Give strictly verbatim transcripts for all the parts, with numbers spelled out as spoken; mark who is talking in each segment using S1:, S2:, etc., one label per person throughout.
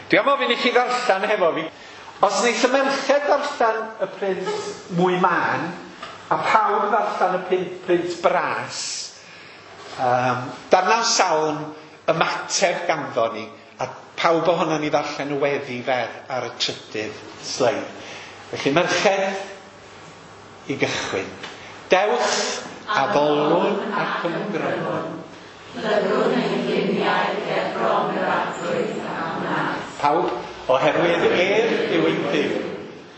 S1: Dwi am ofyn i chi ddarllen hefo fi. Os wneith y merched ddarllen y print mwy mân, a pawb ddarllen y print, print bras, um, darnau salm ymateb ganddo ni, a pawb ohono ni ddarllen y weddi fer ar y trydydd sleid. Felly merched, i gychwyn. Dewch a ddolwn ac ymgrymwn.
S2: Plygwn ein gliniau ger bron yr Arglwydd a wnaeth.
S1: Pawb, oherwydd ef yw ein Duw,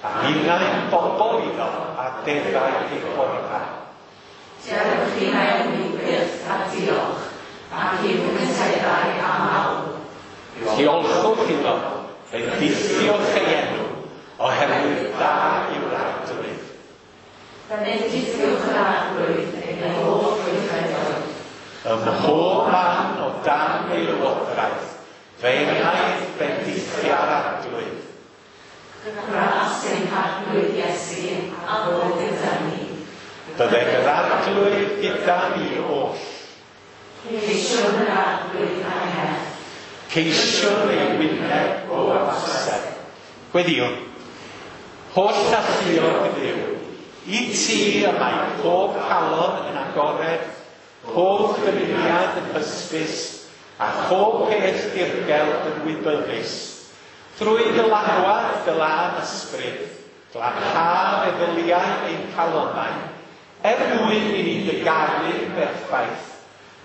S1: a ninnau'n bobl iddo a defaid ei borfa.
S2: Dewch i mewn i'w gyrff a diolch, ac i'w cyseddau a mawl.
S1: Diolchwch iddo, bendithiwch ei enw, oherwydd da yw'r Arglwydd.
S2: Bendithiwch yr Arglwydd ei holl weithredoedd.
S1: Ym mhob man o dan ei lywodraeth, fe wnaeth bendithia'r Arglwydd.
S2: Gras ein Harglwydd Iesu a fod gyda ni.
S1: Bydded yr Arglwydd gyda ni oll.
S2: Ceisiwn yr Arglwydd a'i nerth.
S1: Ceisiwn ei wyneb o amser. Gweddïwn. Holl alluog Dduw, i ti y mae pob calon yn agored, pob dymuniad yn hysbys, a phob peth dirgel yn wybyddus. Drwy dylanwad dy lân ysbryd, glanha meddyliau ein calonnau, er mwyn i ni dy garu'n berffaith,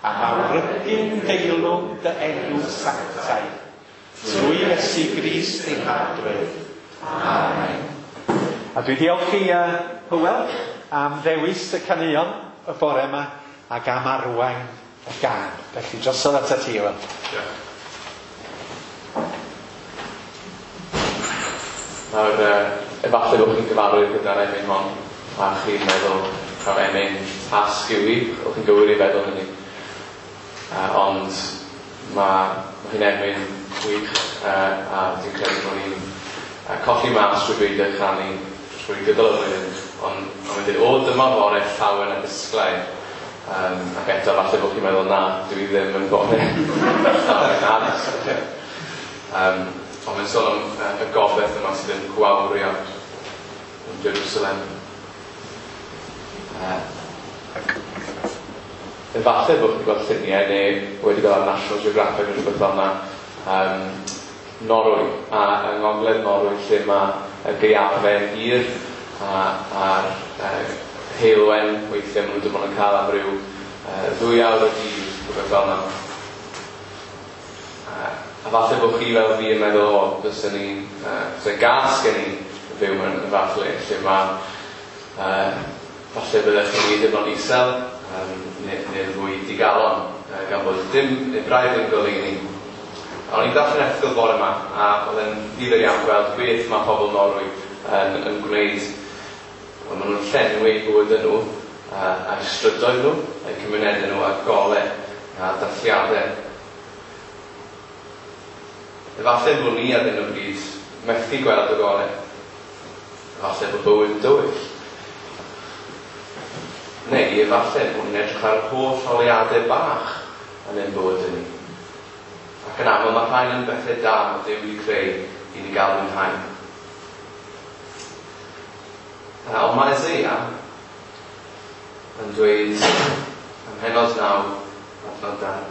S1: a mawrygu'n deilwng dy enw sanctaidd. Trwy Iesu Grist ein Harglwydd. Amen. A dwi diolch i uh, Hywel am ddewis y caneuon y bore yma ac am arwain y gân. Felly drosodd atat ti, Hywel.
S3: Diolch. Nawr, uh, efallai bod chi'n gyfarwydd gyda'r emyn hon, a chi'n meddwl taw emyn tasg yw hi, o'ch chi'n gywir i feddwl hynny. Uh, ond mae ma hi'n emyn gwych, uh, a dwi'n credu bod ni'n uh, colli mas trwy beidio chanu trwy gydol y flwyddyn, ond ond mae'n dweud, o, dyma fore llawen a disglair. Um, ac eto, falle bod chi'n meddwl, na, dwi ddim yn bore llawen a disglair. Um, ond mae'n sôn am uh, y gobaith yma sydd yn gwawrio yn Jerusalem. Uh, efallai bod chi'n gweld lluniau neu wedi gweld ar National Geographic neu rhywbeth fel yna, um, Norwy, a yng Ngogledd Norwy lle mae y gaeafau hir a, a'r uh, heulwen weithiau maen nhw dim ond yn cael am ryw uh, ddwy awr y dydd, rhywbeth fel yna. Uh, a falle bod chi fel fi yn meddwl, o, fyswn ni'n, uh, fyswn gas gen i fyw mewn y fath le, lle mae, uh, falle byddech chi'n deimlo'n isel, um, neu, neu fwy digalon, uh, gan bod dim, neu braidd ddim goleuni. A o'n i'n darllen erthygl bore yma, a oedd e'n ddifyr iawn gweld beth mae pobl Norwy yn, yn gwneud. Wel, maen nhw'n llenwi eu bywydau nhw, uh, a'u strydoedd nhw, a'u cymunedau nhw, a golau a dathliadau. Efallai bod ni ar hyn o bryd methu gweld y golau. Efallai bod bywyd yn dywyll. Neu efallai bod ni'n edrych ar yr holl oleuadau bach yn ein bywydau ni. Ac yn aml mae rhain yn bethau da mae Duw wedi creu i ni gael mwynhau. Ond mae Eseia yn dweud ym mhennod naw, adnod dau,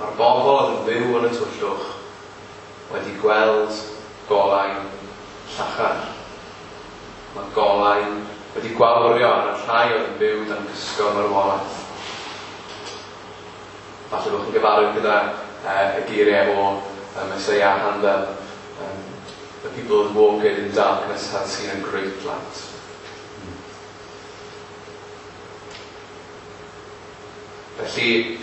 S3: mae'r bobl oedd yn byw yn y tywyllwch wedi gweld golau llachar. Mae golau wedi gwawrio ar y rhai oedd yn byw dan gysgod marwolaeth. Falle bod chi'n gyfarwydd gyda uh, y geiriau o uh, Messiah Handel. Um, the people who walk in darkness have seen a great light. Felly,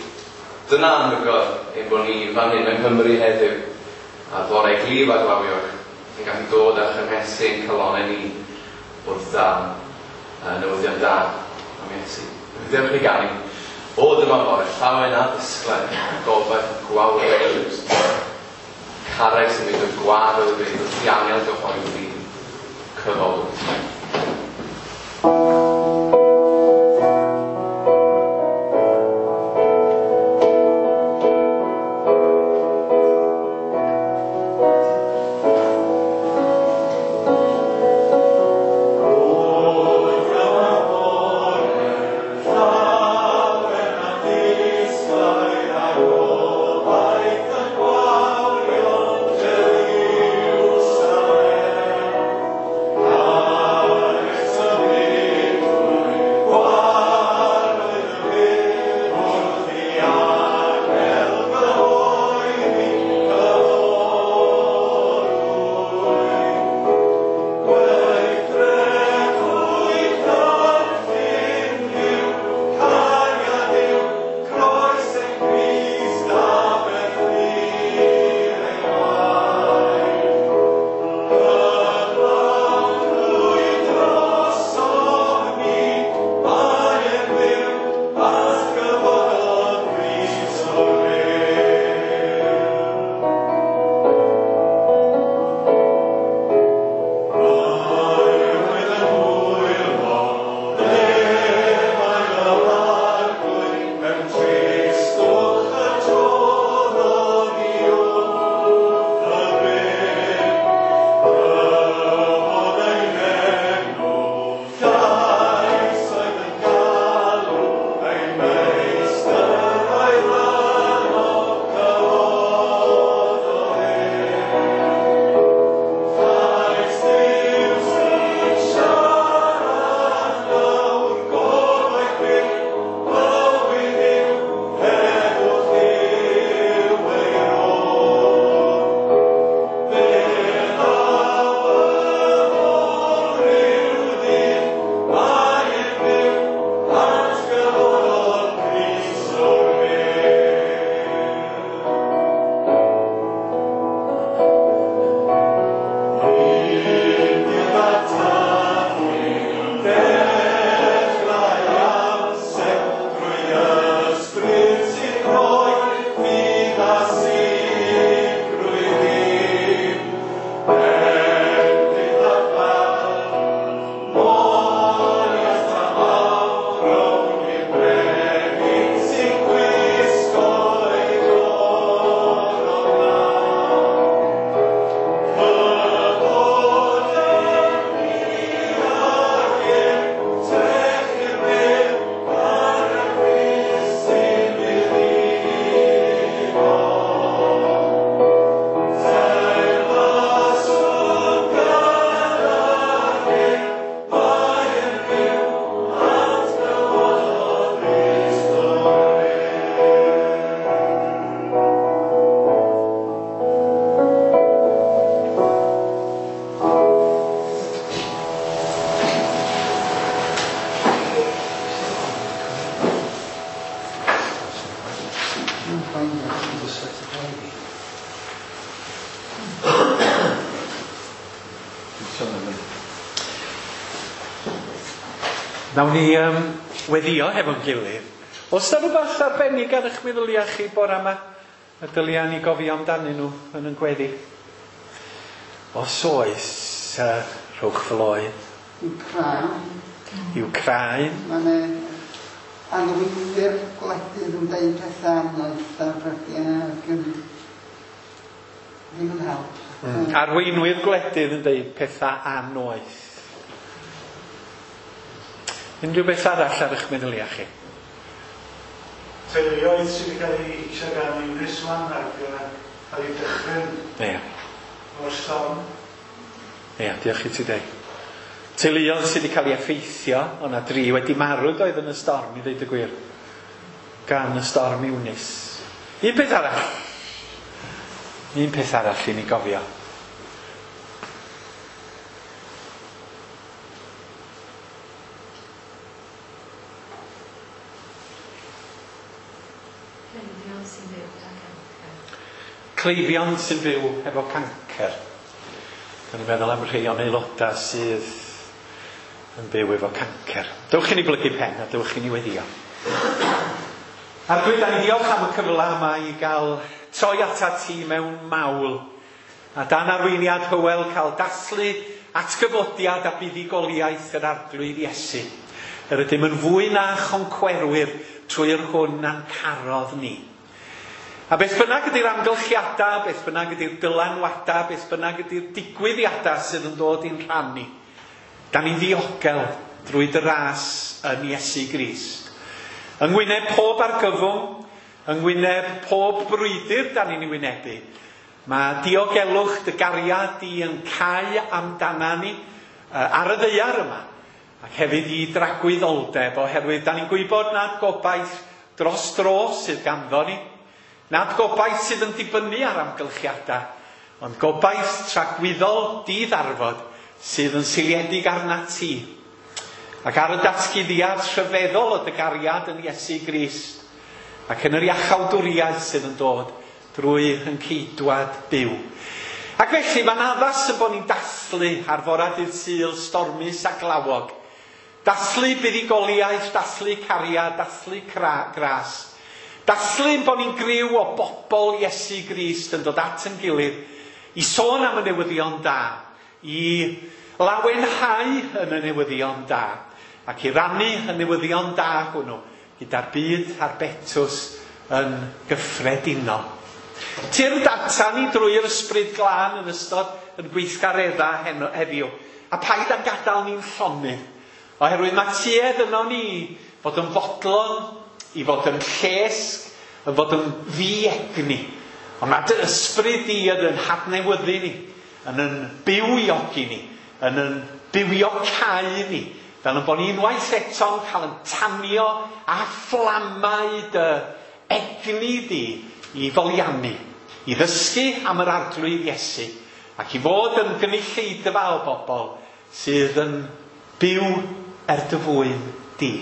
S3: dyna anhygoel ein bod ni fan hyn yng Nghymru heddiw, a fore glyb a glawiog, yn gallu dod â chynhesu ein calonnau ni wrth dan uh, newyddion da am Iesu. Felly, dewch ni ganu. O, dyma fore llawen a ddisglair, gobaith gwawr Jerusalem. Carreg sy'n mynd o'r gwar o'r byd, wrth i angel gyhoeddi cyfodwyd.
S1: Nawn ni um, weddio hefo'n gilydd. Oes 'na rhywbeth arbennig ar eich meddyliau chi bore yma y dylia ni gofio amdanyn nhw yn yn gweddi? Os oes, uh, rhowch floedd.
S4: Wcráin.
S1: Wcráin.
S4: Mae arweinwyr gwledydd yn deud pethau anodd ar brydiau ac yn ddim yn help.
S1: Mm. Arweinwyr gwledydd yn deud pethau annoeth. Unrhyw beth arall ar eich meddyliau chi?
S5: Teuluoedd sydd wedi cael eu hitio gan Eunice wan ac cael eu dychryn
S1: Ie.
S5: o'r storm.
S1: Ie, diolch i ti Dei. Teuluoedd sydd wedi cael eu effeithio, o'na dri wedi marw doedd yn y storm, i ddeud y gwir, gan y storm Eunice. Un peth arall. Un peth arall i ni gofio.
S2: Cleifion sy'n byw gyda cancer.
S1: Cleifion sy'n byw efo cancer. Da ni'n meddwl am rhai o'n aelodau sydd yn byw efo cancer. Dewch i ni blygu pen a dewch i ni weddio. Arglwydd, da ni diolch am y cyfle yma i gael troi atat ti mewn mawl. A dan arweiniad Hywel cael dathlu atgyfodiad a buddugoliaeth yr Arglwydd Iesu. Yr ydym yn fwy na choncwerwyr trwy'r hwn a'n carodd ni. A beth bynnag ydy'r amgylchiadau, beth bynnag ydy'r dylanwadau, beth bynnag ydy'r digwyddiadau sydd yn dod i'n rhan ni, da ni'n ddiogel drwy dy ras yn Iesu Grist. Yng ngwyneb pob argyfwng, yng ngwyneb pob brwydr da ni'n ei wynebu, mae diogelwch dy gariad di yn cau amdana ni ar y ddaear yma, ac hefyd i dragwyddoldeb, oherwydd da ni'n gwybod nad gobaith dros dro sydd ganddo ni, nad gobaith sydd yn dibynnu ar amgylchiadau, ond gobaith tragwyddol diddarfod sydd yn seiliedig arnat ti. Ac ar y datguddiad rhyfeddol o dy gariad yn Iesu Grist, ac yn yr iachawdwriaeth sydd yn dod drwy yn ceidwad byw. Ac felly mae'n addas y bod ni'n dathlu ar fora dydd Sul stormus a glawog. Dathlu buddugoliaeth, dathlu cariad, dathlu gras. Dathlu bod ni'n griw o bobl Iesu Grist yn dod at yn gilydd i sôn am y newyddion da, i lawenhau yn y newyddion da, ac i rannu y newyddion da hwnnw gyda'r byd a'r betws yn gyffredinol. Tyrd ata ni drwy'r ysbryd glân yn ystod yn gweithgareddau heno, heddiw, a paid â'n gadael ni'n llonydd, oherwydd mae tuedd yno ni fod yn fodlon, i fod yn llesg, yn fod yn ddiegni. Ond mae dy ysbryd di yn yn hadnewyddu ni, yn yn bywiogi ni, yn yn bywiocáu ni, fel yn bod ni unwaith eto'n cael yn tanio a fflamau dy egni di i foliannu, i ddysgu am yr Arglwydd Iesu, ac i fod yn gynulleidfa o bobl sydd yn byw er dy fwyn di.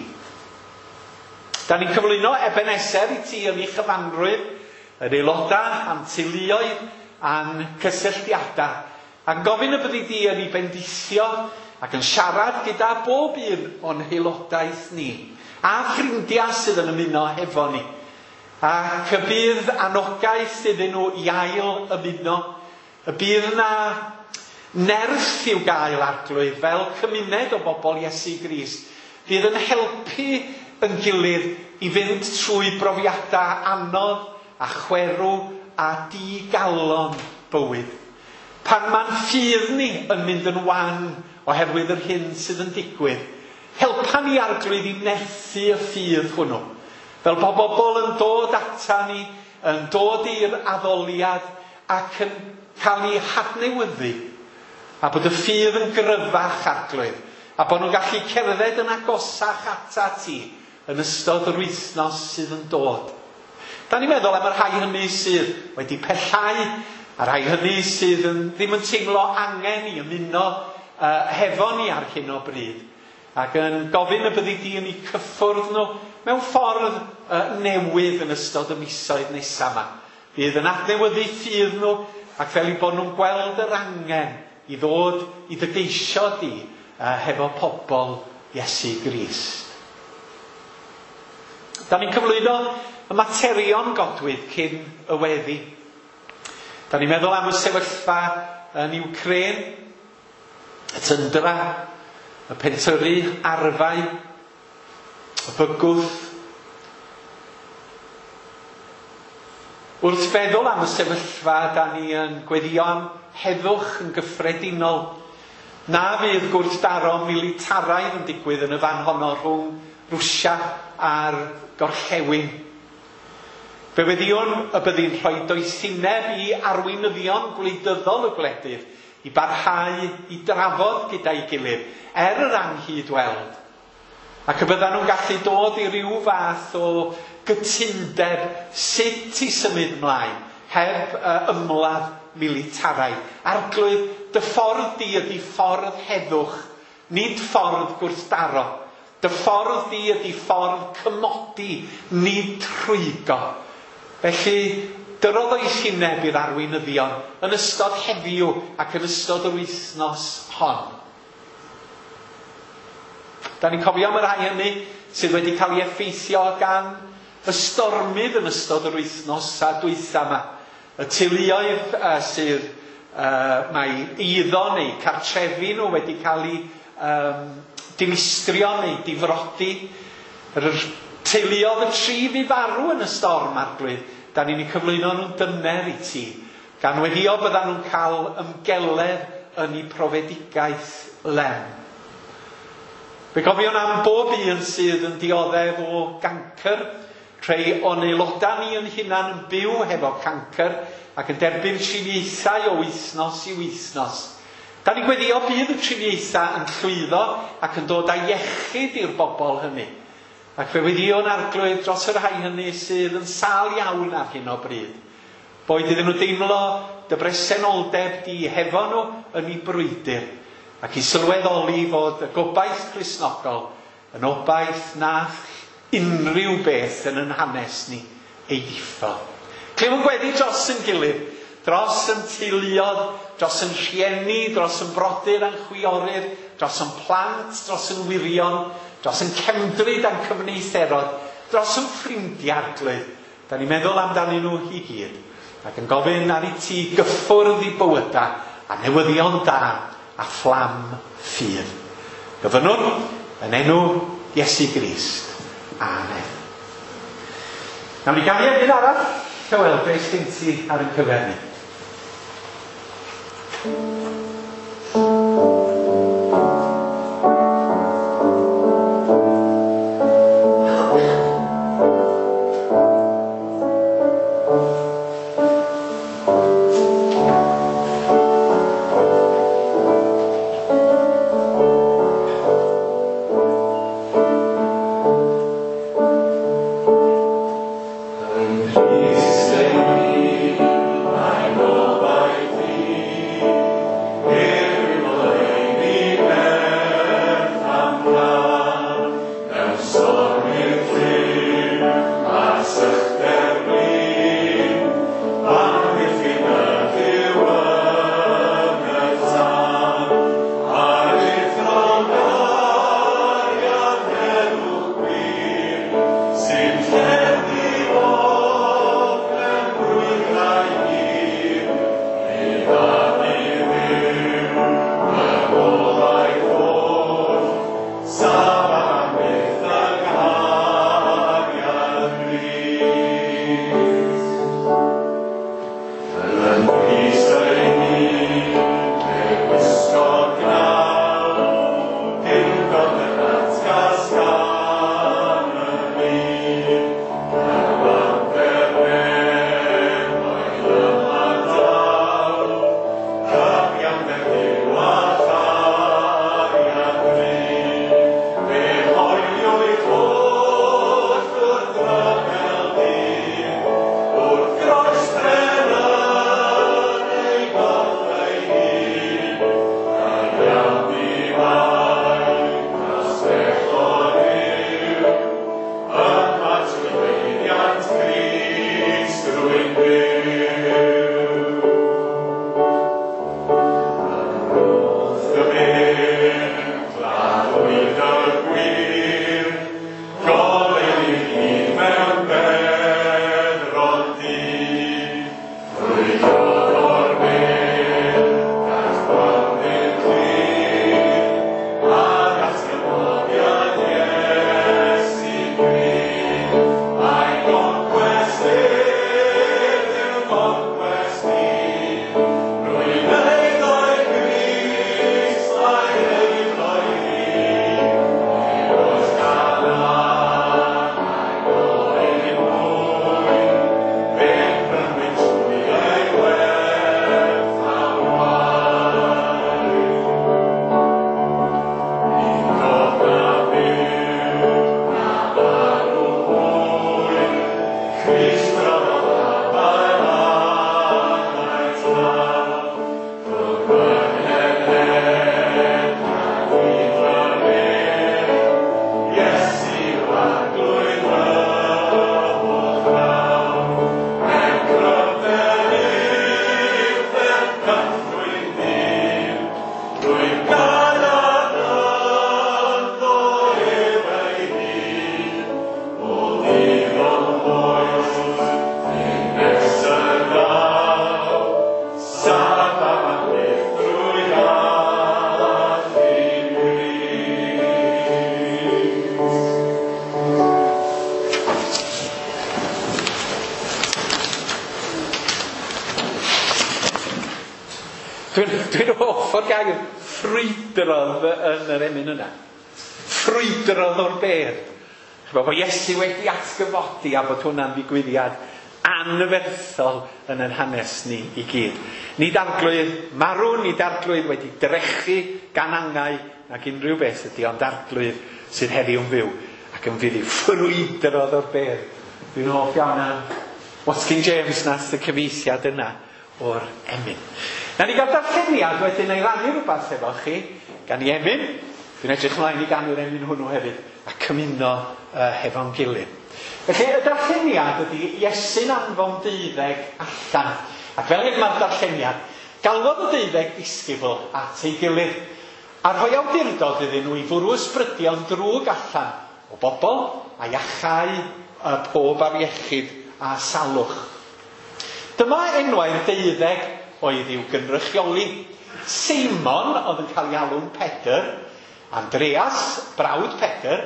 S1: Da ni'n cyflwyno Ebenezer i ti yn ei chyfanrwydd, yr aelodau, a'n teuluoedd, a'n cysylltiadau, a'n gofyn y byddi di yn ei bendithio ac yn siarad gyda bob un o'n haelodaeth ni, a ffrindiau sydd yn ymuno hefo ni, ac y bydd anogaeth iddyn nhw i ail ymuno, y bydd na nerth i'w gael Arglwydd fel cymuned o bobl Iesu Grist, fydd yn helpu yn gilydd i fynd trwy brofiadau anodd a chwerw a digalon bywyd. Pan mae'n ffydd ni yn mynd yn wan oherwydd yr hyn sydd yn digwydd, helpa ni Arglwydd i nerthu y ffydd hwnnw. Fel bod bobl yn dod ata ni, yn dod i'r addoliad ac yn cael ei hadnewyddu, a bod y ffydd yn gryfach Arglwydd, a bod nhw'n gallu cerdded yn agosach ata ti yn ystod yr wythnos sydd yn dod. Da ni'n meddwl am y rhai hynny sydd wedi pellhau, a rhai hynny sydd yn, ddim yn teimlo angen i ymuno uh, hefo ni ar hyn o bryd, ac yn gofyn y byddi di yn eu cyffwrdd nhw mewn ffordd uh, newydd yn ystod y misoedd nesaf yma. Fydd yn adnewyddu ffydd nhw ac fel eu bod nhw'n gweld yr angen i ddod i dy geisio di uh, hefo pobl Iesu Grist. Da ni'n cyflwyno y materion godwyd cyn y weddi. Da ni'n meddwl am y sefyllfa yn Ukraine, y tyndra, y pentyrru arfau, y bygwth. Wrth feddwl am y sefyllfa, da ni yn gweddio am heddwch yn gyffredinol. Na fydd gwrthdaro militaraidd yn digwydd yn y fan honno rhwng Rwsia a'r gorllewin. Fe weddiwn y byddi'n rhoi doethineb i arweinyddion gwleidyddol y gwledydd i barhau i drafod gyda'i gilydd er yr anghydweld. Ac y byddan nhw'n gallu dod i ryw fath o gytundeb sut i symud mlaen heb uh, ymladd militaraidd. Arglwydd, dy ffordd di ydy ffordd heddwch, nid ffordd gwrthdaro. Dy ffordd di ydy ffordd cymodi, nid rhwygo. Felly, dyrodd oesineb i'r arweinyddion yn ystod heddiw ac yn ystod yr wythnos hon. Da ni'n cofio am y rhai hynny sydd wedi cael ei effeithio gan y stormydd yn ystod yr wythnos a dwytha yma. Y teuluoedd uh, sydd uh, mae eiddo neu cartrefi nhw wedi cael eu um, dinistrio neu difrodi. Yr teuluoedd y tri fu farw yn y storm, Arglwydd, da ni'n eu cyflwyno nhw'n dyner i ti, gan weddio byddan nhw'n cael ymgeledd yn eu profedigaeth lem. Fe gofiwn am bob un sydd yn dioddef o gancr, rhai o'n aelodau ni yn hunan yn byw hefo cancr ac yn derbyn triniaethau o wythnos i wythnos. Da ni'n gweddio bydd y triniaethau yn llwyddo ac yn dod â iechyd i'r bobl hynny. Ac fe weddiwn Arglwydd dros y rhai hynny sydd yn sâl iawn ar hyn o bryd. Boed iddyn nhw deimlo dy bresenoldeb di hefo nhw yn eu brwydr, ac i sylweddoli fod y gobaith Cristnogol yn obaith nath unrhyw beth yn yn hanes ni ei ddiffodd. Clywn gweddi dros yn gilydd, dros yn teuluodd, dros yn rhieni, dros yn brodyr a'n chwiorydd, dros yn plant, dros yn wyrion, dros yn cefndryd a'n cyfneitherod, dros yn ffrindiau, Arglwydd. Da ni'n meddwl amdanyn nhw i gyd, ac yn gofyn ar i ti gyffwrdd i bywyda a newyddion da a fflam ffydd. Gofynnwn yn enw Iesu Grist. Amen. Nawn ni ganu un arall. Llywel, beth sy'n ti ar ein cyfer ni?
S6: Yng Nghrist ei hun, mae'n gobaith i.
S1: Dwi'n dwi hoff o'r gair ffrwydrodd yn yr emyn yna. Ffrwydrodd o'r bedd. Ch'bo, bod Iesu wedi atgyfodi a bod hwnna'n ddigwyddiad anferthol yn ein hanes ni i gyd. Nid arglwydd marw, nid arglwydd wedi drechu gan angau nag unrhyw beth ydy, ond arglwydd sydd heddiw'n fyw ac yn fydd i ffrwydrodd o'r bedd. Dwi'n hoff iawn am Watkin James nath y cyfieithiad yna o'r emyn. Na ni gael darlleniad wedyn ei rannu rhywbeth efo chi gan i emyn. Dwi'n edrych ymlaen i ganu'r emyn hwnnw hefyd a cymuno uh, hefo'n gilydd. Felly y darlleniad ydy Iesu'n anfon deuddeg allan. Ac fel hyn mae'r darlleniad, galwodd y deuddeg disgybl at ei gilydd a rhoi awdurdod iddyn nhw i fwrw ysbrydion drwg allan o bobl a iachau uh, pob afiechyd a salwch. Dyma enwau'r deuddeg oedd i'w gynrychioli. Seimon oedd yn cael ei alw'n Pedr, Andreas, brawd Pedr,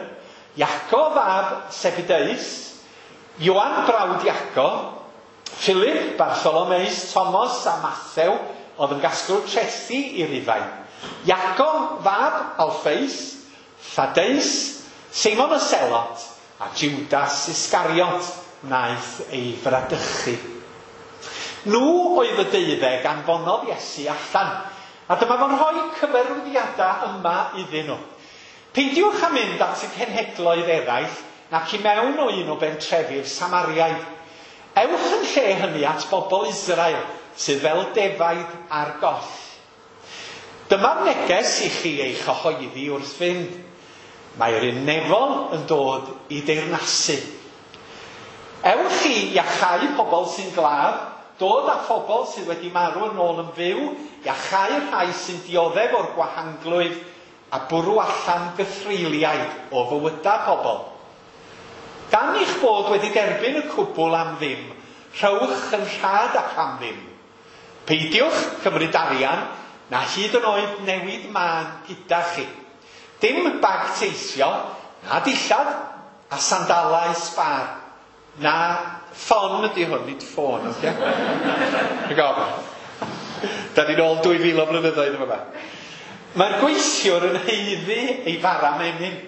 S1: Iaco fab Sebedeus, Ioan brawd Iaco, Philip, Bartholomeus, Thomas a Mathew oedd yn gasglu trethi i Rufain, Iaco fab Alphaeus, Thaddeus, Seimon y Selot a Judas Iscariot wnaeth ei fradychu. Nhw oedd y deuddeg anfonodd Iesu allan, a dyma fo'n rhoi cyfarwyddiadau yma iddyn nhw. Peidiwch â mynd at y cenhedloedd eraill nac i mewn o un o bentrefi'r Samariaid. Ewch yn lle hynny at bobl Israel sydd fel defaid ar goll. Dyma'r neges i chi ei chyhoeddi wrth fynd. Mae'r un nefol yn dod i deyrnasu. Ewch i iachau pobl sy'n glaf, dod â phobl sydd wedi marw yn ôl yn fyw, iachau rhai sy'n dioddef o'r gwahanglwyf a bwrw allan gythreuliaid o fywydau pobl. Gan eich bod wedi derbyn y cwbl am ddim, rhowch yn rhad ac am ddim. Peidiwch cymryd arian na hyd yn oed newid mân gyda chi. Dim bag teithio, na dillad a sandalau sbâr, na ffon ydy hwn, nid ffôn, oce? Rhaid gofyn. Da ni'n ôl dwy fil o blynyddoedd yma. Mae'r gweithiwr yn haeddu ei fara menyn.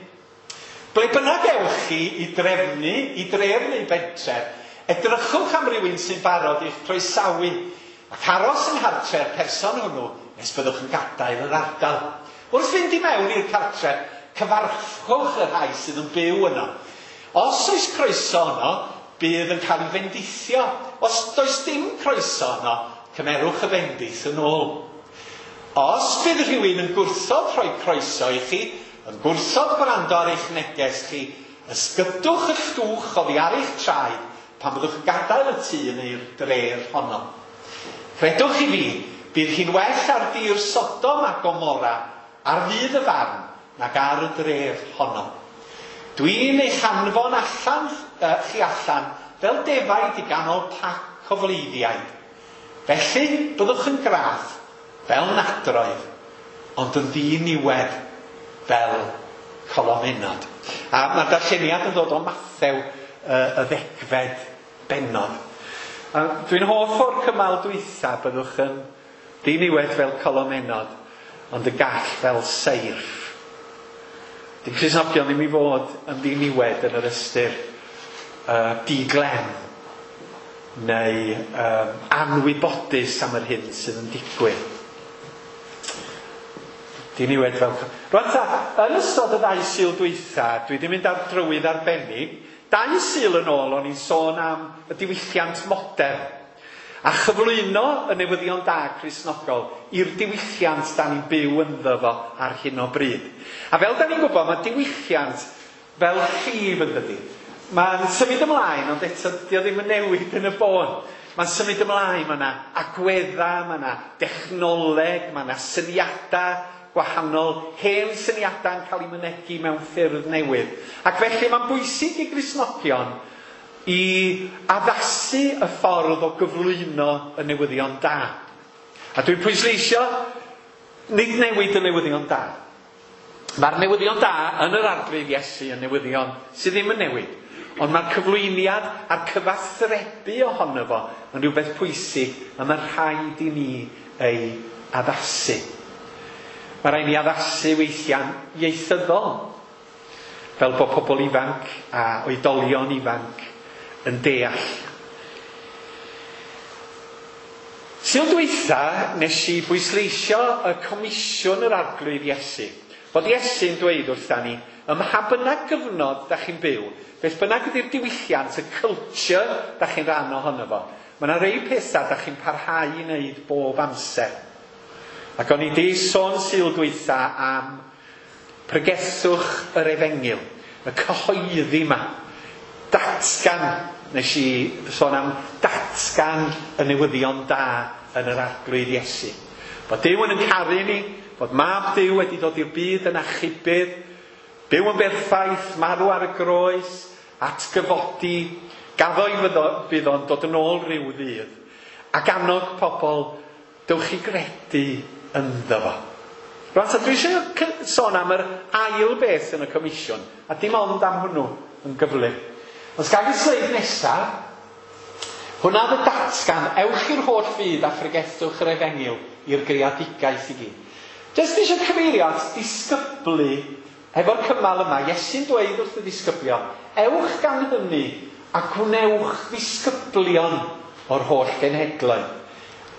S1: Ble bynnag ewch chi i drefnu, i dref neu bentref, edrychwch am rywun sy'n barod i'ch croesawu ac aros yng nghartre'r person hwnnw nes byddwch yn gadael yr ardal. Wrth fynd i mewn i'r cartref, cyfarchwch y rhai sydd yn byw yno. Os oes croeso yno, bydd yn cael ei fendithio. Os does dim croeso yno, cymerwch y bendith yn ôl. Os bydd rhywun yn gwrthod rhoi croeso i chi, yn gwrthod gwrando ar eich neges chi, ysgydwch y llwch oddi ar eich traed pan byddwch yn gadael y tŷ neu'r dref honno. Credwch i fi, bydd hi'n well ar dir Sodom a Gomorra ar ddydd y farn nag ar y dref honno. Dwi'n eich anfon allan, uh, chi allan fel defaid i ganol pac o fleiddiaid. Felly, byddwch yn graff fel nadroedd, ond yn ddiniwed fel colofenod. A mae'r darlleniad yn dod o Mathew uh, y ddegfed bennod. A dwi'n hoff o'r cymal dwytha, byddwch yn ddiniwed fel colofenod, ond y gall fel seirff. Di Cristnogion ddim i fod yn ddiniwed yn yr ystyr uh, diglem neu um, anwybodus am yr hyn sydd yn digwydd. Diniwed fel... Rwan ta, yn ystod y ddau Sul dwytha, dwi wedi mynd ar drywydd arbennig. Dau Sul yn ôl o'n i'n sôn am y diwylliant modern a chyflwyno y newyddion da Cristnogol i'r diwylliant da ni'n byw ynddo fo ar hyn o bryd. A fel da ni'n gwybod, mae diwylliant fel llif yn dydi. Mae'n symud ymlaen, ond eto dio ddim yn newid yn y bôn. Mae'n symud ymlaen, mae yna agweddau, mae yna dechnoleg, mae yna syniadau gwahanol, hen syniadau yn cael eu mynegi mewn ffyrdd newydd. Ac felly mae'n bwysig i Gristnogion i addasu y ffordd o gyflwyno y newyddion da. A dwi'n pwysleisio, nid newid y newyddion da. Mae'r newyddion da yn yr Arglwydd Iesu yn newyddion sydd ddim yn newid. Ond mae'r cyflwyniad a'r cyfathrebu ohono fo yn rhywbeth pwysig a mae rhaid i ni ei addasu. Mae rhaid ni addasu weithiau'n ieithyddol, fel bod pobl ifanc a oedolion ifanc yn deall. Sul dwytha nes i bwysleisio y comisiwn yr Arglwydd Iesu. Bod Iesu'n dweud wrtha ni, ym mha bynnag gyfnod da chi'n byw, beth bynnag ydy'r diwylliant, y culture da chi'n rhan ohono fo, mae yna rei pethau da chi'n parhau i wneud bob amser. Ac o'n i di sôn Sul dwytha am pregethwch yr efengyl, y cyhoeddi yma, datgan, nes i sôn am datgan y newyddion da yn yr Arglwydd Iesu. Bod Duw yn caru ni, bod Mab Duw wedi dod i'r byd yn achubydd, byw yn berffaith, marw ar y groes, atgyfodi, gaddo i fydd o'n dod yn ôl rhyw ddydd, ac annog pobl, dewch i gredu ynddo fo. Rwan ta, dwi eisiau sôn am yr ail beth yn y comisiwn, a dim ond am hwnnw yn gyflym. Os gael y sleid nesaf, hwnna oedd y datgan, ewch i'r holl fyd a phregethwch yr efengyl i'r greadigaeth i gyd. Jyst eisiau cyfeirio at disgyblu efo'r cymal yma, Iesu'n dweud wrth y disgyblion, ewch gan hynny a gwnewch ddisgyblion o'r holl genhedloedd.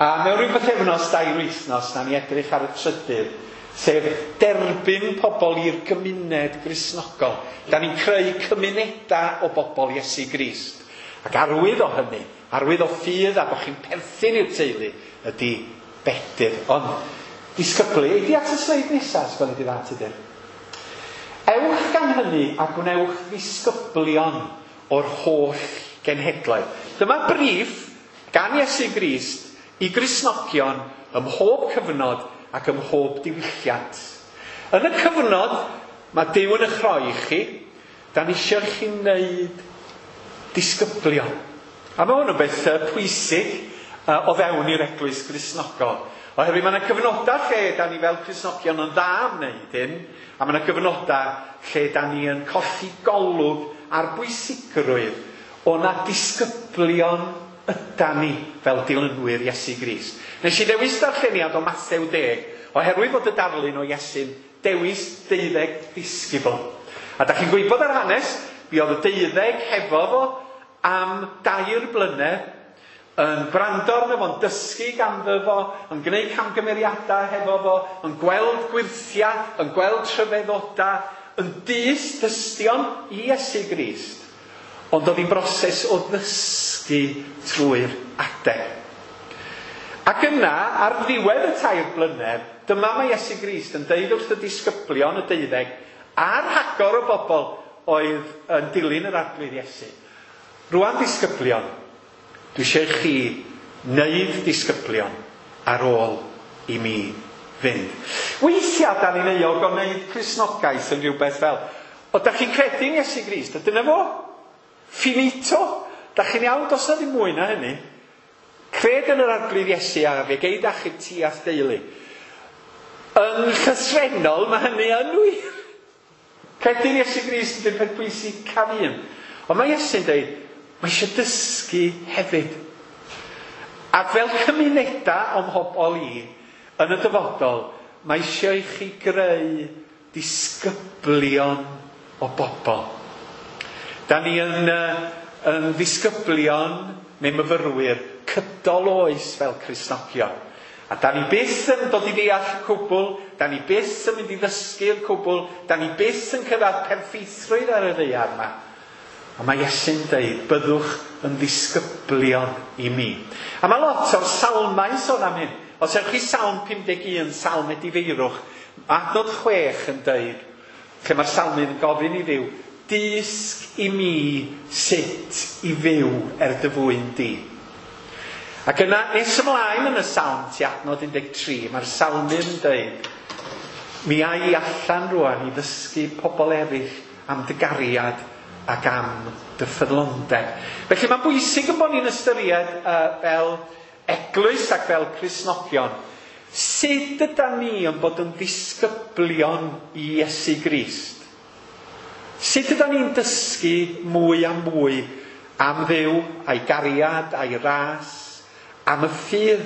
S1: A mewn rhyw bythefnos, dair wythnos, na ni edrych ar y trydydd, sef derbyn pobl i'r gymuned Gristnogol. Da ni'n creu cymunedau o bobl Iesu Grist. Ac arwydd o hynny, arwydd o ffydd a bod chi'n perthyn i'r teulu, ydy bedydd. Ond disgyblu, ydy at y sleid nesaf, sgwelwn di dda, Tudur. Ewch gan hynny a gwnewch ddisgyblion o'r holl genhedloedd. Dyma briff gan Iesu Grist i Gristnogion ym mhob cyfnod ac ym mhob diwylliant. Yn y cyfnod mae Duw yn eich rhoi i chi, da ni eisiau chi wneud disgyblion. A mae hwn yn beth pwysig uh, o fewn i'r eglwys Gristnogol. Oherwydd mae yna gyfnodau lle da ni fel Cristnogion yn dda am wneud hyn, a mae yna gyfnodau lle da ni yn colli golwg ar bwysigrwydd o na disgyblion yda ni fel dilynwyr Iesu Grist. Nes i ddewis darlleniad o Mathew deg, oherwydd bod y darlun o Iesu'n dewis deuddeg disgybl. A da chi'n gwybod yr hanes, fuodd y deuddeg hefo fo am dair blynedd, yn gwrando arno fo'n dysgu ganddo fo, yn gwneud camgymeriadau hefo fo, yn gweld gwyrthiau, yn gweld tryfeddodau, yn dyst dystion i Iesu Grist. Ond oedd hi'n broses o ddysgu trwy'r adeg. Ac yna, ar ddiwedd y tair blynedd, dyma mae Iesu Grist yn deud wrth y disgyblion y deuddeg a'r rhagor o bobl oedd yn dilyn yr Arglwydd Iesu. Rwan disgyblion, dwi eisiau chi wneud disgyblion ar ôl i mi fynd. Weithiau da ni'n euog o wneud Cristnogaeth yn rhywbeth fel, o da chi'n credu yn Iesu Grist, a dyna fo, finito, da chi'n iawn, does na ddim mwy na hynny. Cred yn yr Arglwydd Iesu a fe gei d'achub ti a'th deulu. Yn llythrennol, mae hynny yn wir. Credu'n Iesu Grist ydy'r peth pwysicaf un. Ond mae Iesu'n dweud, mae eisiau dysgu hefyd. Ac fel cymunedau o'm mhobol i, yn y dyfodol, mae eisiau i chi greu disgyblion o bobl. Da ni yn, yn ddisgyblion neu myfyrwyr cydol oes fel Cristnogion. A da ni byth yn dod i ddeall y cwbl, da ni byth yn mynd i ddysgu'r cwbl, da ni byth yn cyrraedd perffeithrwydd ar y ddaear yma. Ond mae Iesu'n dweud, byddwch yn ddisgyblion i mi. A mae lot o'r salmau sôn am hyn. Os ewch chi Salm pum deg un, Salm Edifeirwch, adnod chwech yn dweud, lle mae'r salmydd yn gofyn i Dduw, dysg i mi sut i fyw er dy fwyn di. Ac yna, nes ymlaen yn y salm, ti adnod un deg tri, mae'r salmydd yn dweud, mi a i allan rwan i ddysgu pobl eraill am dy gariad ac am dy ffyddlondeb. Felly mae'n bwysig yn bod ni'n ystyried uh, fel eglwys ac fel Cristnogion, sut ydan ni yn bod yn ddisgyblion i Iesu Grist? Sut ydan ni'n dysgu mwy a mwy am Dduw, a'i gariad, a'i ras, am y ffydd?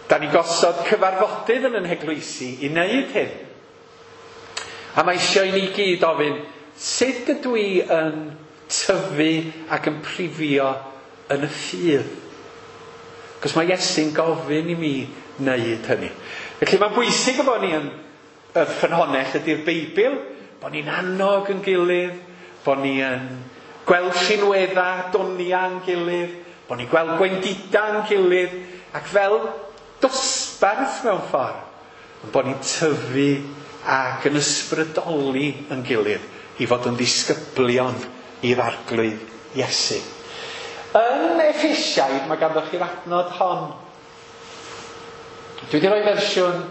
S1: Da ni gosod cyfarfodydd yn yn heglwysi i wneud hyn. A mae eisiau i ni gyd ofyn, sut ydw i yn tyfu ac yn prifio yn y ffydd? Cos mae Iesu'n gofyn i mi wneud hynny. Felly mae'n bwysig bod ni yn y ffynhonnell ydy'r Beibl, bod ni'n annog yn gilydd, bod ni yn gweld rhinweddau, doniau yn gilydd, bod ni'n gweld gwendidau yn gilydd, ac fel dosbarth mewn ffordd, bod ni'n tyfu ac yn ysbrydoli yn gilydd i fod yn ddisgyblion i'r Arglwydd Iesu. Yn Effesiaid mae ganddo chi'r adnod hon. Dwi wedi rhoi fersiwn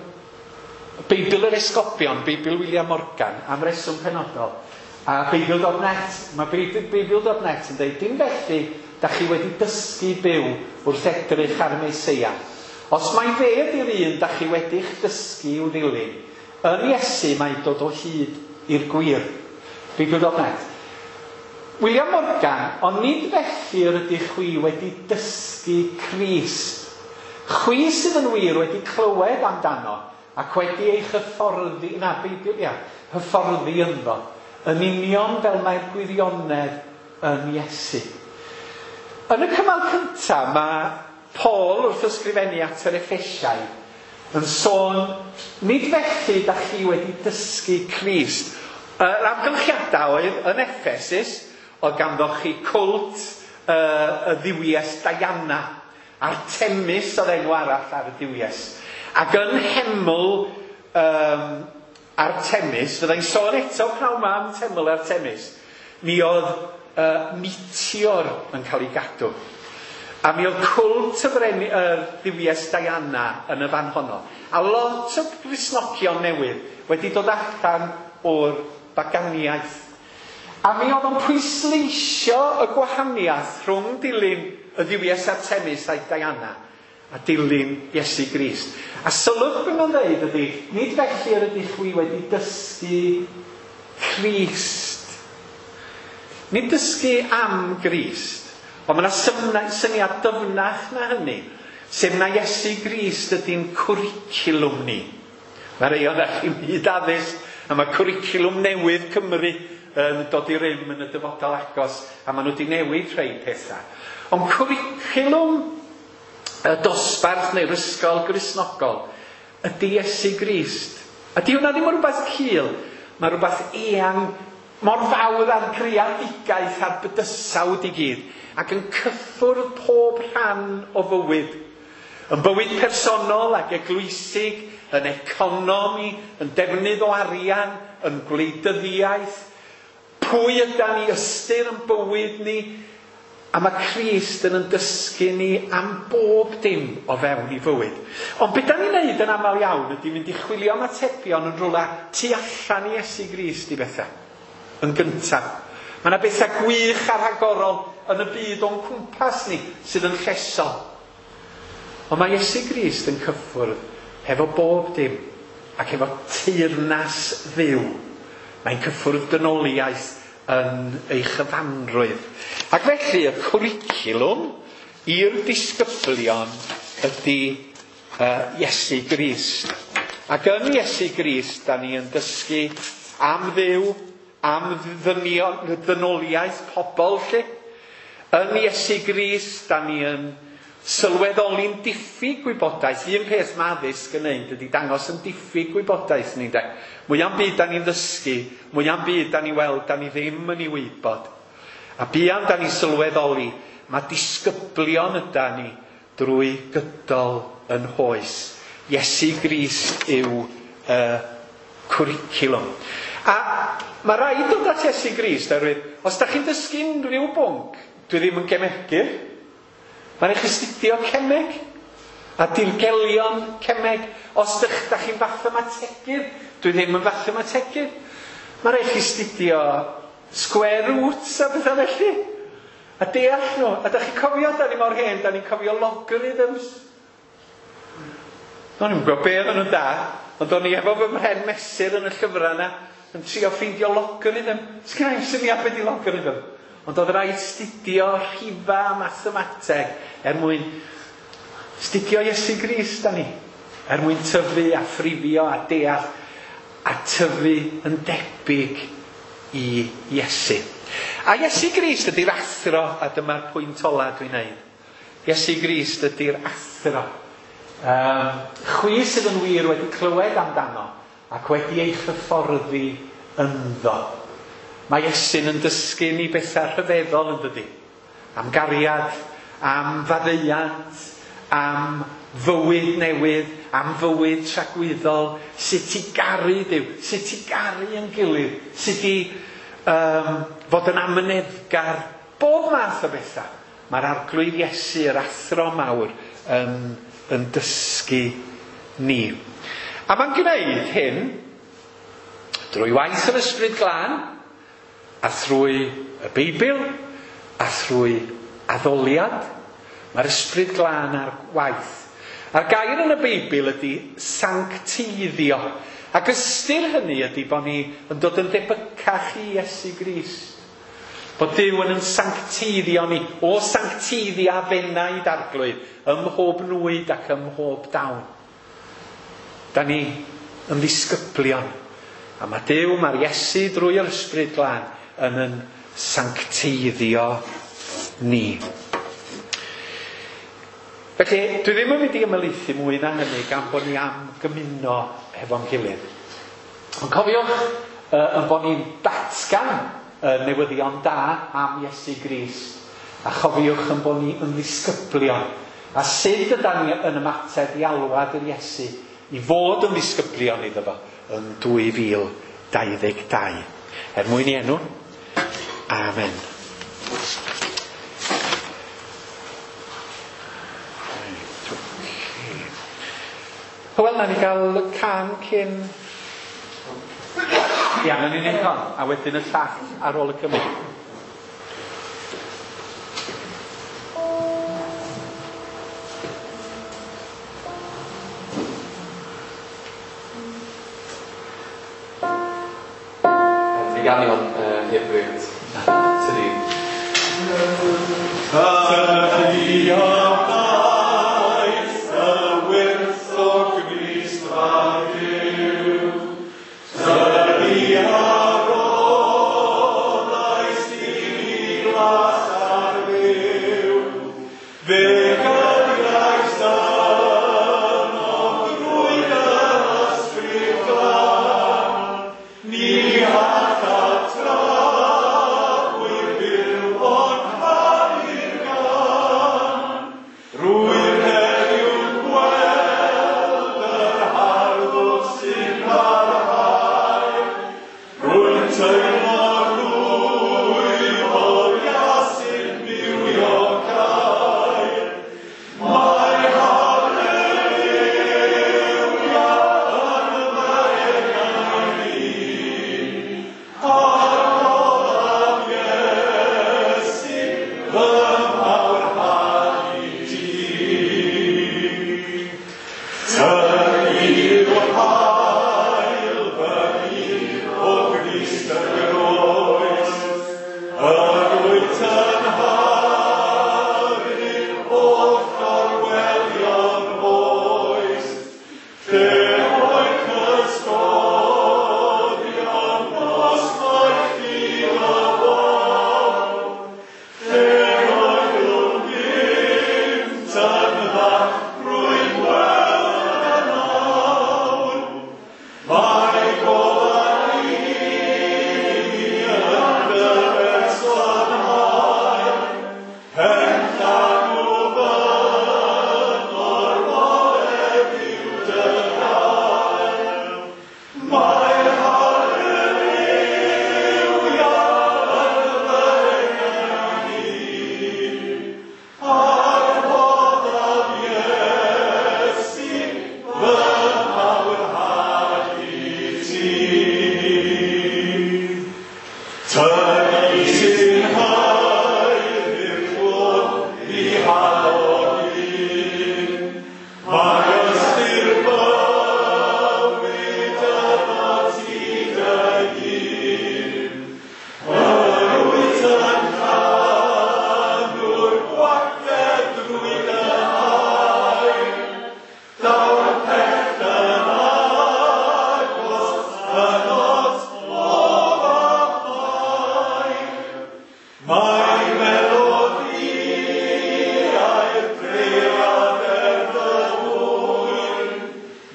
S1: Beibl yr Esgobion, Beibl William Morgan, am reswm penodol. A Beibl dot net, mae Beibl dot net yn dweud, dim felly da chi wedi dysgu byw wrth edrych ar y Meseia. Os mai fe ydy'r un da chi wedi'ch dysgu i'w ddilyn, yn Iesu mae dod o hyd i'r gwir. Beibl dot net. William Morgan, ond nid felly yr ydych chwi wedi dysgu Crist. Chwi sydd yn wir wedi clywed amdano ac wedi eich hyfforddi, na, Beibl, ia, hyfforddi ynddo, yn union fel mae'r gwirionedd yn Iesu. Yn y cymal cyntaf, mae Paul wrth ysgrifennu at yr Effesiaid yn sôn, nid felly da chi wedi dysgu Crist. Yr amgylchiadau oedd yn Effesus, oedd ganddo chi cwlt uh, y dduwies Diana, Artemis oedd enw arall ar y duwies. Ac yn heml um, Artemis, fyddai'n sôn eto pnawn ma am teml Artemis, mi oedd uh, meteor yn cael ei gadw. A mi oedd cwlt y freni, yr dduwies Diana yn y fan honno. A lot o Gristnogion newydd wedi dod allan o'r baganiaeth. A mi oedd o'n pwysleisio y gwahaniaeth rhwng dilyn y dduwies Artemis a'i Diana a dilyn Iesu Grist. A sylwch be mae'n dweud ydy, nid felly yr ydych chwi wedi dysgu Crist. Nid dysgu am Grist, ond mae yna syniad dyfnach na hynny, sef na Iesu Grist ydy'n cwricwlwm ni. Mae rei ohonoch chi'n byd addysg, a mae cwricwlwm newydd Cymru yn dod i rym yn y dyfodol agos, a maen nhw wedi newid rhai pethau. Ond cwricwlwm y dosbarth neu'r ysgol Gristnogol ydy Iesu Grist. A di hwnna ddim yn rhywbeth cul, mae rhywbeth eang, mor fawr ar greadigaeth a'r bydysawd i gyd, ac yn cyffwrdd pob rhan o fywyd. Yn bywyd personol ac eglwysig, yn economi, yn defnydd o arian, yn gwleidyddiaeth, pwy ydan ni, ystyr yn bywyd ni, a mae Crist yn yn dysgu ni am bob dim o fewn i fywyd. Ond beth da ni'n neud yn aml iawn ydy mynd i chwilio am atebion yn rhywle tu allan i Iesu Grist i bethau. Yn gyntaf. Mae yna bethau gwych a rhagorol yn y byd o'n cwmpas ni sydd yn llesol. Ond mae Iesu Grist yn cyffwrdd hefo bob dim ac efo teyrnas Dduw. Mae'n cyffwrdd dynoliaeth yn ei chyfanrwydd. Ac felly y cwricwlwm i'r disgyblion ydy uh, Iesu Grist. Ac yn Iesu Grist, da ni yn dysgu am Dduw, am ddynion, ddynoliaeth pobl lle. Yn Iesu Grist, da ni yn sylweddoli'n diffyg gwybodaeth. Un peth mae addysg yn neud ydy dangos yn diffyg gwybodaeth ni, de. Mwy am byd da ni'n ddysgu, mwy am byd da ni weld, da ni ddim yn ei wybod. A buan da ni sylweddoli, mae disgyblion yda ni drwy gydol yn hoes. Iesu Grist yw y uh, cwricwlwm. A mae rhaid dod at Iesu Grist, oherwydd, os da chi'n dysgu unrhyw bwnc, dwi ddim yn gemegydd. Mae'n eich astudio cemeg a dirgelion cemeg. Os dych, da chi'n fathemategydd, dwi ddim yn fathemategydd. Mae'n eich astudio square roots a bethau felly. A deall nhw. A da chi'n cofio, da ni mor hen, da ni'n cofio logarithms. O'n i'n gwybod be oedden nhw'n da, ond o'n i efo fy mhren mesur yn y llyfrau yna, yn trio ffeindio logarithm. Sgynna i'm syniad be di logarithm. Ond oedd rhaid studio rhifa a mathemateg er mwyn studio Iesu Grist da ni. Er mwyn tyfu a phrifio a deall a tyfu yn debyg i Iesu. A Iesu Grist ydy'r athro, a dyma'r pwynt ola dwi'n neud. Iesu Grist ydy'r athro. Um, chwi sydd yn wir wedi clywed amdano ac wedi eich hyfforddi ynddo. Mae Iesu'n yn dysgu ni bethau rhyfeddol yn dydi. Am gariad, am faddeuant, am fywyd newydd, am fywyd tragwyddol, sut i garu Duw, sut i garu yn gilydd, sut i um, fod yn amyneddgar, bob math o bethau. Mae'r Arglwydd Iesu, yr athro mawr, yn, yn dysgu ni. A mae'n gwneud hyn drwy waith yr Ysbryd Glân, a thrwy y Beibl, a thrwy addoliad. Mae'r Ysbryd Glân ar waith. A'r gair yn y Beibl ydy sancteiddio. Ac ystyr hynny ydy bod ni yn dod yn debycach i Iesu Grist. Bod Duw yn yn sancteiddio ni, o sancteiddia fenaid Arglwydd, ym mhob nwyd ac ym mhob dawn. Da ni yn ddisgyblion. A mae Duw, mae'r Iesu drwy yr Ysbryd Glân yn yn sancteiddio ni. Felly, dwi ddim yn mynd i ymhelaethu mwy na hynny gan bod ni am gymuno hefo'n gilydd. Ond cofiwch uh, yn bod ni'n datgan uh, newyddion da am Iesu Grist. A chofiwch yn bod ni yn ddisgyblion. A sut ydan ni yn ymateb i alwad yr Iesu i fod yn ddisgyblion iddo fo yn dwy fil dau ddeg dau. Er mwyn i enw. Amen. Hywel, na ni gael can cyn... Ia, na ni'n neud hon, a wedyn y llall ar ôl y cymryd.
S3: Ti ganu hwn uh, heb bryd. Tydi.
S5: Tydi a daeth y wyrth o Grist a Duw. Tydi a roddais i mi glas ar fyw. Fe gydiais yno drwy dy ysbryd glân. Ni alla tragwydd byw ond canu'r gân. Rwyf heddiw'n gweld yr harddwch sy'n parhau. Rwy'n teimlo rwyf o'r Iesu'n bywiocau. Mae haleluia yn fy enau i. A'r olaf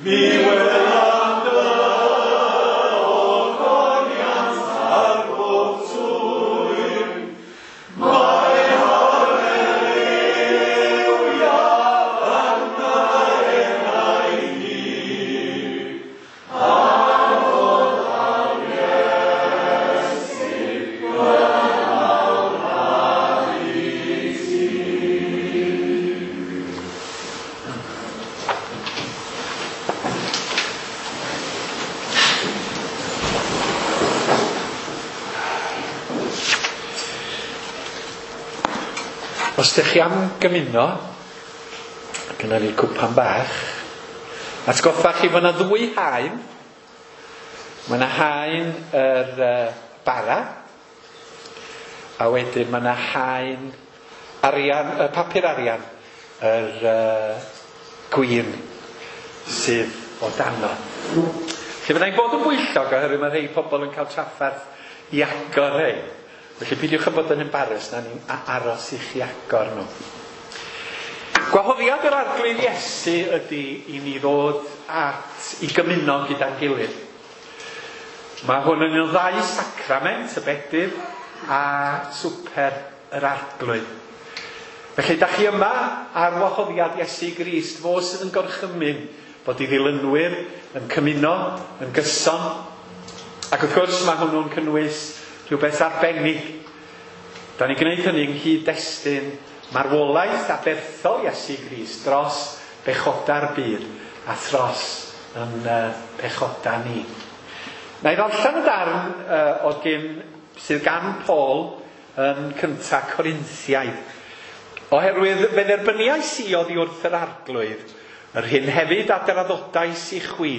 S1: Mi welaf dy ogoniant ar bob twyn. Mae haleluia yn fy enau i. Am fod am Iesu gynnal i ti. Os ydych chi am gymuno, gyda ni cwpan bach, atgoffa chi fod yna ddwy haen. Mae yna haen yr uh, bara, a wedyn mae yna haen arian, y papur arian, yr uh, gwin sydd o dano. Felly fyddai'n bod yn bwyllog oherwydd mae rhai pobl yn cael trafferth i agor rhai. Felly peidiwch â bod yn embarrassed, na ni'n aros i chi agor nhw. Gwahoddiad yr Arglwydd Iesu ydy i ni ddod at i gymuno gyda'n gilydd. Mae hwn yn un o ddau sacrament, y bedydd a swper yr Arglwydd. Felly da chi yma ar wahoddiad Iesu Grist, fo sydd yn gorchymyn bod i ddilynwyr yn cymuno, yn gyson. Ac wrth gwrs mae hwnnw'n cynnwys rhywbeth arbennig. Da ni'n gwneud hynny yng nghyd-destun marwolaeth aberthol Iesu Grist dros bechoda'r byd a thros yn uh, pechoda ni. Na i ddarllen y darn uh, o gyn, sydd gan Paul yn cynta Corinthiaid. Oherwydd fe dderbyniais i oddi wrth yr Arglwydd, yr hyn hefyd a draddodais i chwi.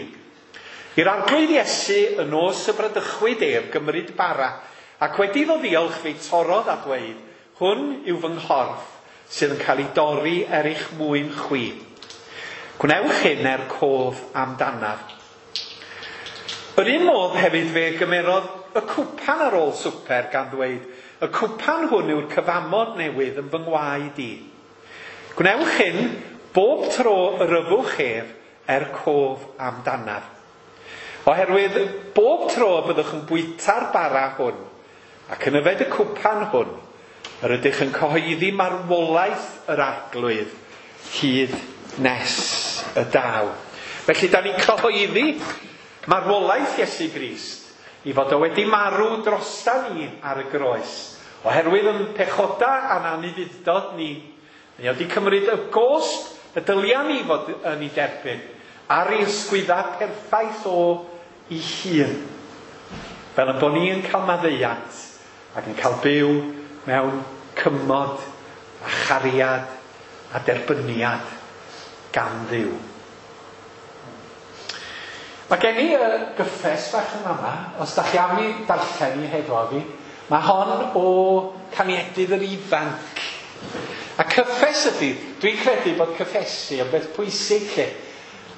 S1: I'r Arglwydd Iesu y nos y bradychwyd ef gymryd bara, ac wedi iddo ddiolch fe'i torrodd a dweud, hwn yw fy nghorff sydd yn cael ei dorri er eich mwyn chwi. Gwnewch hyn er cof amdanaf. Yr un modd hefyd fe gymerodd y cwpan ar ôl swper gan ddweud, y cwpan hwn yw'r cyfamod newydd yn fy ngwaed i. Gwnewch hyn bob tro yr yfwch ef er cof amdanaf. Oherwydd bob tro byddwch yn bwyta'r bara hwn ac yn yfed y cwpan hwn, yr ydych yn cyhoeddi marwolaeth yr Arglwydd hyd nes y daw. Felly da ni'n cyhoeddi marwolaeth Iesu Grist i fod o wedi marw drosta ni ar y groes. Oherwydd yn pechoda a'n anufudd-dod ni, ni wedi cymryd y gost y dylia ni fod yn ei derbyn ar ei ysgwydda perffaith o ei hun. Fel yn bod ni'n cael maddeuant ac yn cael byw mewn cymod a chariad a derbyniad gan Dduw. Mae gen i y gyffes bach yn fama, os da chi am i darllen i hefo fi, mae hon o Caniedydd yr Ifanc. A cyffes ydy, dwi'n credu bod cyffesu yn beth pwysig lle.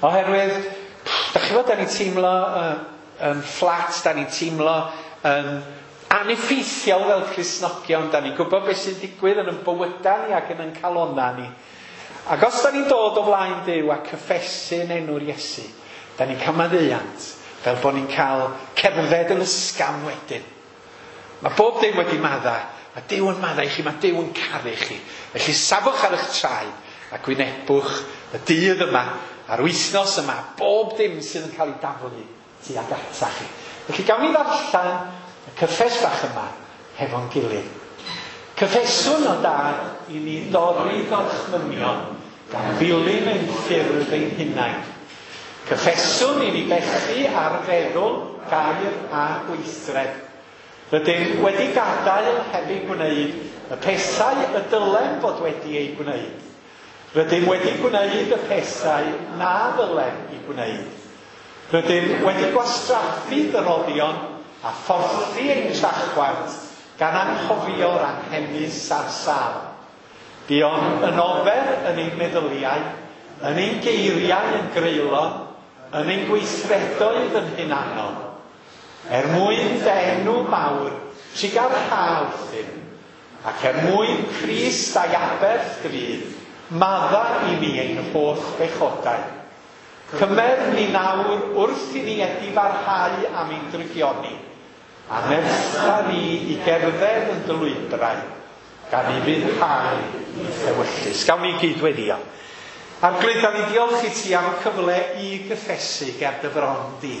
S1: Oherwydd, da chi fod, da ni'n teimlo uh, yn fflat, da ni'n teimlo yn aneffeithiol fel Cristnogion, da ni'n gwybod beth sy'n digwydd yn ein bywydau ni ac yn ein calonnau ni. Ac os da ni'n dod o flaen Duw a cyffesu yn enw'r Iesu, da ni'n cael maddeuant, fel bod ni'n cael cerdded yn ysgafn wedyn. Mae bob dim wedi madda, mae Duw yn madda i chi, mae Duw yn caru chi. Felly safwch ar eich traed a gwynebwch y dydd yma, a'r wythnos yma, bob dim sydd yn cael ei daflu tuag ata chi. Felly gawn ni ddarllen y cyffes bach yma hefo'n gilydd. Cyffeswn o dad i ni dorri gorchmynion gan ddilyn ein ffyrdd ein hunain. Cyffeswn i ni bechu ar feddwl, gair a gweithred. Rydym wedi gadael heb ei gwneud y pethau y dylem fod wedi ei gwneud. Rydym wedi gwneud y pethau na ddylem ei gwneud. Rydym wedi gwastraffu dyroddion a phorthi ein trachwant gan anghofio'r anghenus a'r sâl. Buom yn ofer yn ein meddyliau, yn ein geiriau yn greulon, yn ein gweithredoedd yn hunanol. Er mwyn dy enw mawr, trugarha wrthym, ac er mwyn Crist a'i aberth drud, madda i ni ein holl bechodau. Cymer ni nawr wrth i ni edifarhau am ein drygioni, a nertha ni i gerdded yn dy lwybrau, gan i fuddhau i'th ewyllys. Gawn ni gyd weddio. Arglwydd, da ni diolch i ti am y cyfle i gyffesu ger dy fron di.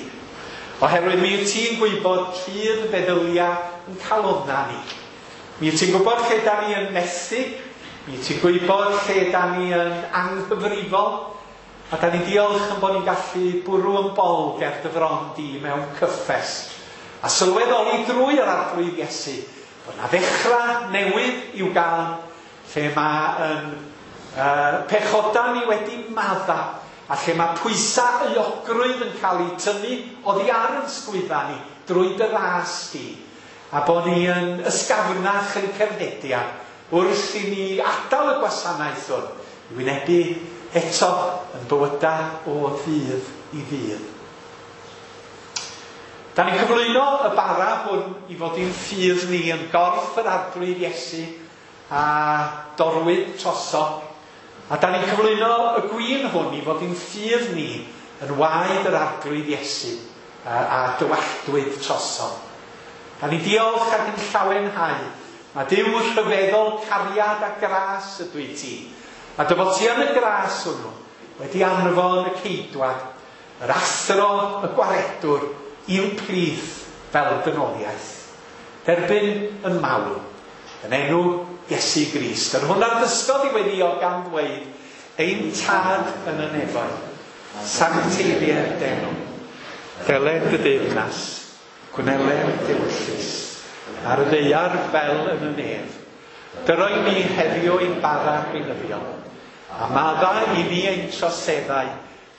S1: Oherwydd mi wyt ti'n gwybod cudd feddylia yn calonna ni. Mi wyt ti'n gwybod lle da ni yn methu, mi wyt ti'n gwybod lle da ni yn anghyfrifol, a da ni diolch yn bod ni'n gallu bwrw yn bol ger dy fron di mewn cyffes. A sylweddoli drwy yr Arglwydd Iesu, bod na ddechrau newydd i'w gael, lle mae yn uh, pechoda ni wedi madda, a lle mae pwysau euogrwydd yn cael ei tynnu oddi ar yn sgwydda ni drwy dy ras di, a bod ni yn ysgafnach yn cerddediad wrth i ni adael y gwasanaeth hwn i wynebu eto yn bywydau o ddydd i ddydd. Da ni'n cyflwyno y bara hwn i fod i'n ffydd ni yn gorff yr Arglwydd Iesu a dorwyd troso. A da ni'n cyflwyno y gwin hwn i fod i'n ffydd ni yn waed yr Arglwydd Iesu a, a dywalltwyd troso. Da ni'n diolch ac yn llawenhau. Mae Duw rhyfeddol cariad a gras ydw i ti. A dy fod ti yn y gras hwnnw wedi anfon y ceidwad, yr athro, y gwaredwr, i'n plith fel dynoliaeth. Derbyn yn mawl, yn enw Iesu Grist. Yr hwn a ddysgodd i weddio gan ddweud, ein tad yn y nefoedd, sancteiddier d'enw, deled dy deyrnas, gwneled d'ewyllys, ar y ddaear fel yn y nef. Dyroi ni heddiw ein bara beunyddiol, a maddau i ni ein troseddau,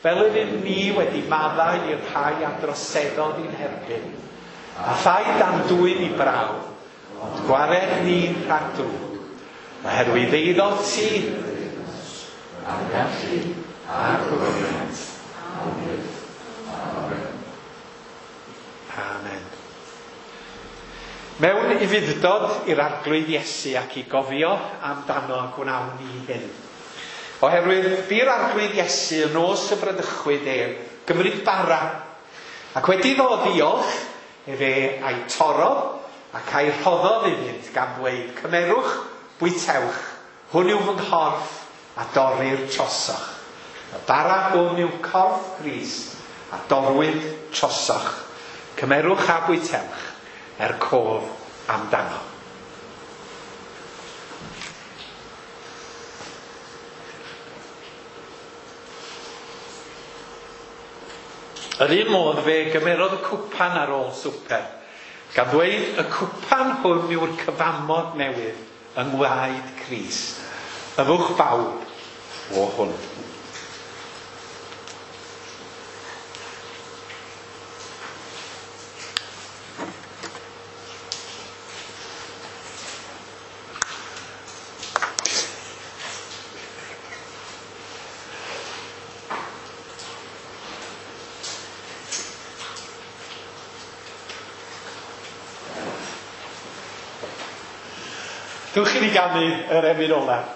S1: fel yr un ni wedi maddau i'r rhai a droseddodd i'n herbyn. A phaid am dwyn i brawf, ond gwared ni rhag drwg, oherwydd eiddo ti, a'r gallu, a'r gogoniant. Amen. Mewn ufudd-dod i'r Arglwydd Iesu ac i gofio amdano gwnawn ni hyn. Oherwydd bu'r Arglwydd Iesu yn nos y bradychwyd ef gymryd bara, ac wedi iddo ddiolch, efe a'i torrodd ac a'i rhoddodd iddynt gan ddweud, cymerwch, bwytewch, hwn yw fy nghorff a dorrir trosoch. Y bara hwn yw corff Crist a dorwyd trosoch. Cymerwch a bwytewch er cof amdano. Yr un modd fe gymerodd y cwpan ar ôl swper, gan ddweud y cwpan hwn yw'r cyfamod newydd yng ngwaed Crist. Yfwch bawb o hwn. Dewch i ni ganu yr emyn olaf.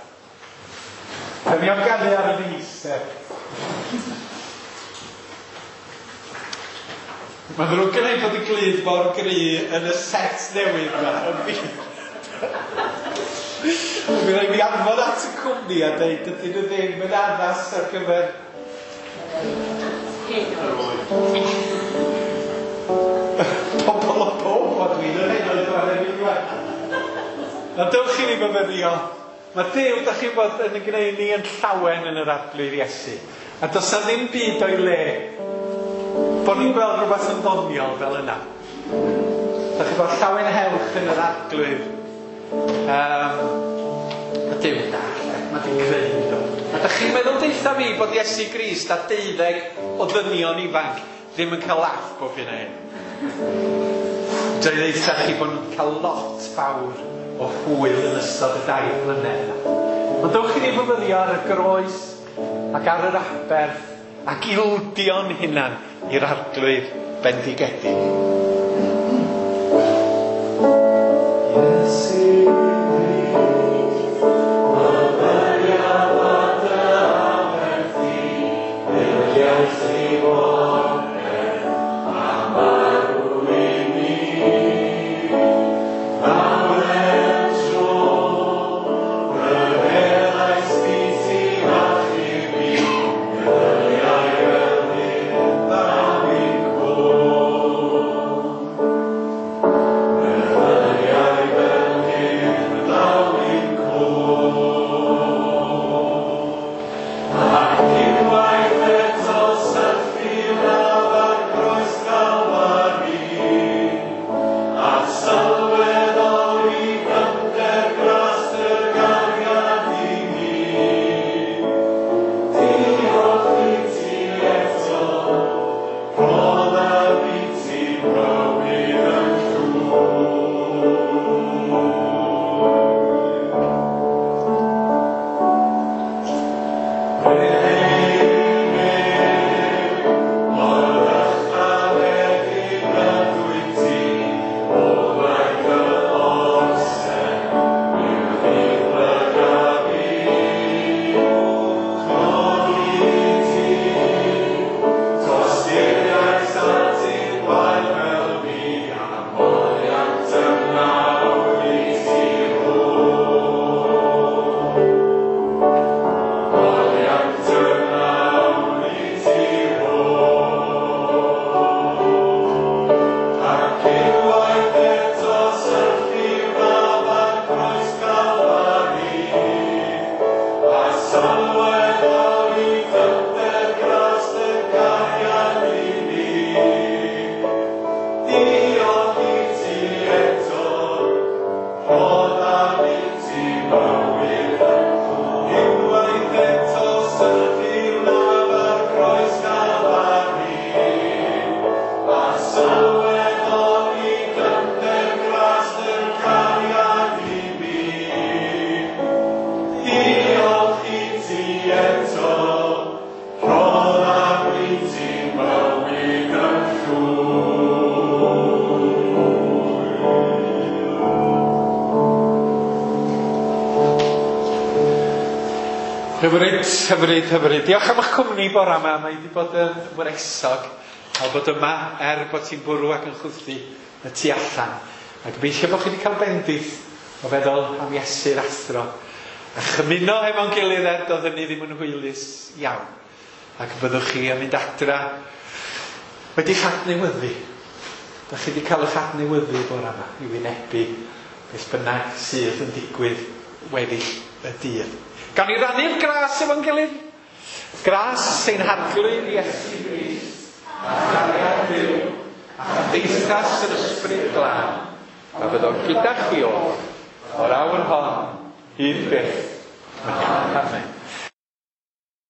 S1: Da ni am ganu ar y ddister. Mae'n ddrwg gen i bod y glud mor gry yn y set newydd yma. Yn fi. Mi rhaid mi anfon at y cwmni a dweud dydyn nhw ddim yn addas ar gyfer pobl o pob o dwi'n yn ei oed o'r emyn yma. Na dewch i ni fyfyrio. Mae Duw, da chi'n bod, yn gwneud ni yn llawen yn yr Arglwydd Iesu. A does na ddim byd o'i le bod ni'n gweld rhywbeth yn ddoniol fel yna. Da chi'n bod llawen hewch yn yr Arglwydd. Um, mae Duw da, mae di creu ni do. A da chi'n meddwl deutha fi bod Iesu Grist a deuddeg o ddynion ifanc ddim yn cael laff bob hyn a hyn. Dwi'n deutha chi bod nhw'n cael lot fawr o hwyl yn ystod y dair blynedd yna. Ond dewch i ni fyfyrio ar y groes ac ar yr aberth ac ildio'n hunan i'r Arglwydd bendigedig. Iesu Grist, myfyriaf ar dy aberth di, ildiais Hyfryd, hyfryd, hyfryd. Diolch am eich cwmni bore yma. Mae wedi bod yn wresog cael bod yma er bod ti'n bwrw ac yn chwythu y tu allan. A gobeithio bod chi wedi cael bendith o feddwl am Iesu'r athro. A chymuno hefo'n gilydd er doedd hynny ddim yn hwylus iawn. Ac byddwch chi yn mynd adra wedi'ch adnewyddu. Dach chi wedi cael eich adnewyddu bore yma i wynebu beth bynnag sydd yn digwydd weddill y dydd. Gawn ni rannu'r gras efo'n gilydd? Gras ein Harglwydd Iesu Grist, a chariad Duw, a chymdeithas yr Ysbryd Glân, a fyddo gyda chi oll, o'r awr hon, hyd byth. Amen.